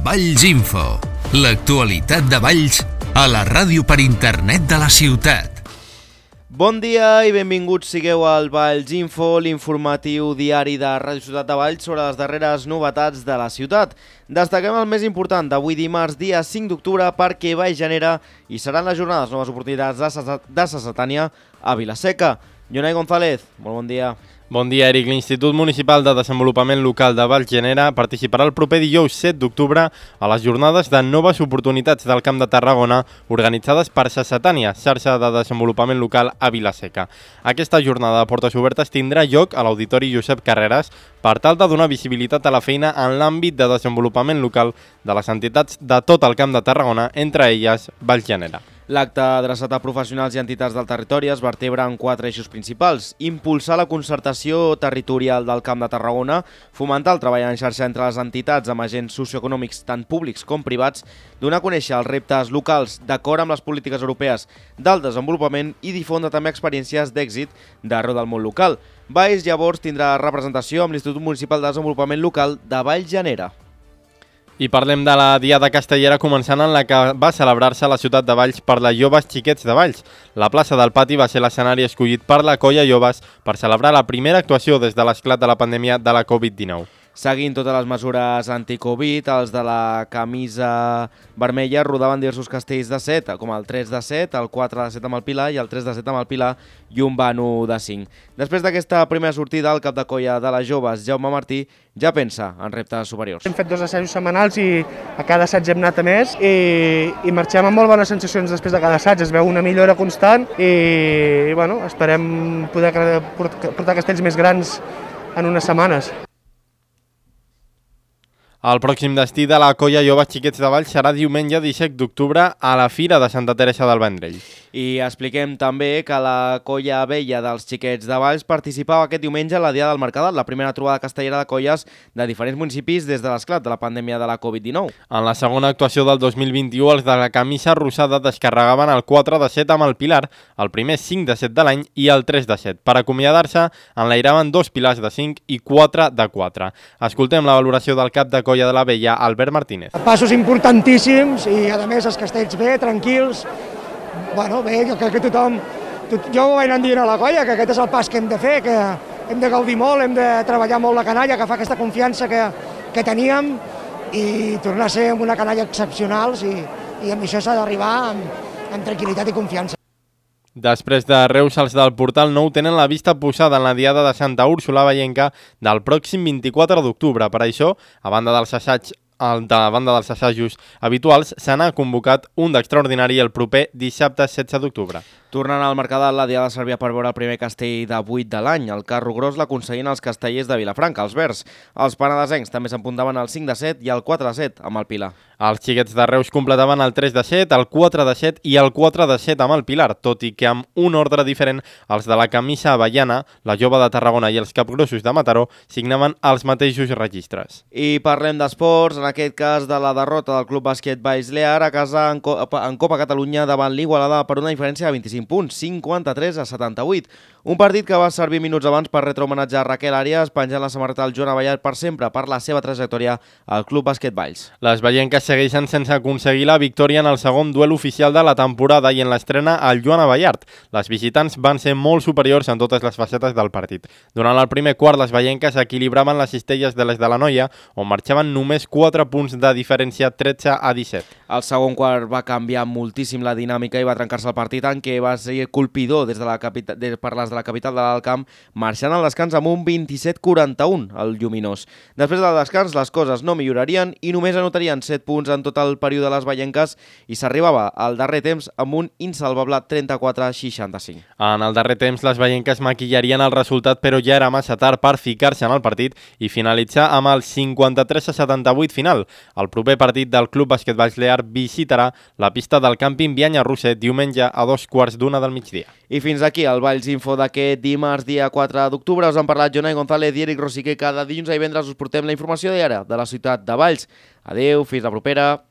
Valls Info, l'actualitat de Valls a la ràdio per internet de la ciutat. Bon dia i benvinguts sigueu al Valls Info, l'informatiu diari de Ràdio Ciutat de Valls sobre les darreres novetats de la ciutat. Destaquem el més important d'avui dimarts, dia 5 d'octubre, perquè Valls genera i seran les jornades noves oportunitats de Sassetània a Vila-seca. Jonai González, molt bon dia. Bon dia, Eric. L'Institut Municipal de Desenvolupament Local de Valls Genera participarà el proper dijous 7 d'octubre a les jornades de noves oportunitats del Camp de Tarragona organitzades per Sassetània, xarxa de desenvolupament local a Vila-seca. Aquesta jornada de portes obertes tindrà lloc a l'Auditori Josep Carreras per tal de donar visibilitat a la feina en l'àmbit de desenvolupament local de les entitats de tot el Camp de Tarragona, entre elles Valls Genera. L'acte adreçat a professionals i entitats del territori es vertebra en 4 eixos principals: impulsar la concertació territorial del Camp de Tarragona, fomentar el treball en xarxa entre les entitats amb agents socioeconòmics tant públics com privats, donar a conèixer els reptes locals d'acord amb les polítiques europees del desenvolupament i difondre també experiències d'èxit d'arreu del món local. Valls llavors tindrà representació amb l'Institut Municipal de Desenvolupament Local de Valls Genera. I parlem de la Diada Castellera, començant en la que va celebrar-se a la ciutat de Valls per la Joves Xiquets de Valls. La plaça del Pati va ser l'escenari escollit per la Colla Joves per celebrar la primera actuació des de l'esclat de la pandèmia de la Covid-19. Seguint totes les mesures anti-Covid, els de la camisa vermella rodaven diversos castells de 7, com el 3 de 7, el 4 de 7 amb el Pilar i el 3 de 7 amb el Pilar i un vano de 5. Després d'aquesta primera sortida, el cap de colla de les joves, Jaume Martí, ja pensa en reptes superiors. Hem fet 2 assajos setmanals i a cada assaig hem anat a més i marxem amb molt bones sensacions després de cada assaig. Es veu una millora constant i bueno, esperem poder portar castells més grans en unes setmanes. El pròxim destí de la Colla Joves Xiquets de Valls serà diumenge 17 d'octubre a la Fira de Santa Teresa del Vendrell. I expliquem també que la Colla Vella dels Xiquets de Valls participava aquest diumenge a la Diada del Mercadat, la primera trobada castellera de colles de diferents municipis des de l'esclat de la pandèmia de la Covid-19. En la segona actuació del 2021, els de la camisa rosada descarregaven el 4 de 7 amb el Pilar, el primer 5 de 7 de l'any i el 3 de 7. Per acomiadar-se, enlairaven 2 pilars de 5 i 4 de 4. Escoltem la valoració del cap de colla de la Vella, Albert Martínez. Passos importantíssims i, a més, els castells bé, tranquils. Bueno, bé, jo crec que tothom... Jo ho vaig anar dient a la colla, que aquest és el pas que hem de fer, que hem de gaudir molt, hem de treballar molt la canalla, agafar aquesta confiança que teníem i tornar a ser una canalla excepcionals i amb això s'ha d'arribar amb tranquil·litat i confiança. Després de Reus, els del Portal Nou tenen la vista posada en la Diada de Santa Úrsula Vallenca del pròxim 24 d'octubre. Per això, a banda dels assajos habituals, se n'ha convocat un d'extraordinari el proper dissabte 16 d'octubre. Tornant al Mercadat, la Diada servia per veure el primer castell de 8 de l'any. El carro gros l'aconseguien els castellers de Vilafranca, els verds. Els penedesencs també s'apuntaven al 5 de 7 i al 4 de 7 amb el Pilar. Els xiquets de Reus completaven el 3 de 7, el 4 de 7 i el 4 de 7 amb el Pilar, tot i que amb un ordre diferent, els de la camisa avellana, la jove de Tarragona i els capgrossos de Mataró signaven els mateixos registres. I parlem d'esports, en aquest cas de la derrota del Club Bàsquet Valls Lear a casa en Copa Catalunya davant l'Igualada per una diferència de 25 punts, 53 a 78. Un partit que va servir minuts abans per retre homenatge a Raquel Àrias, penjant la samarreta del Joan Avellar per sempre per la seva trajectòria al Club Bàsquet Valls. Les vallenques segueixen sense aconseguir la victòria en el segon duel oficial de la temporada i en l'estrena al Joan Avellart. Les visitants van ser molt superiors en totes les facetes del partit. Durant el primer quart, les vallenques equilibraven les cistelles de les de la Noia, on marxaven només 4 punts de diferència, 13 a 17. El segon quart va canviar moltíssim la dinàmica i va trencar-se el partit, en què va ser colpidor per les de la capital de l'Alt Camp, marxant al descans amb un 27-41 al Lluminós. Després del descans, les coses no millorarien i només anotarien 7 punts en tot el període de les vallenques i s'arribava al darrer temps amb un insalvable 34-65. En el darrer temps, les vallenques maquillarien el resultat, però ja era massa tard per ficar-se en el partit i finalitzar amb el 53-78 final. El proper partit del Club Bàsquet Valls Lear visitarà la pista del càmping Vianya Roset diumenge a 2:15 del migdia. I fins aquí el Valls Info d'aquest dimarts, dia 4 d'octubre. Us han parlat Jonai González i Eric Rosique. Cada dilluns i divendres us portem la informació diària de la ciutat de Valls. Adéu, fins la propera.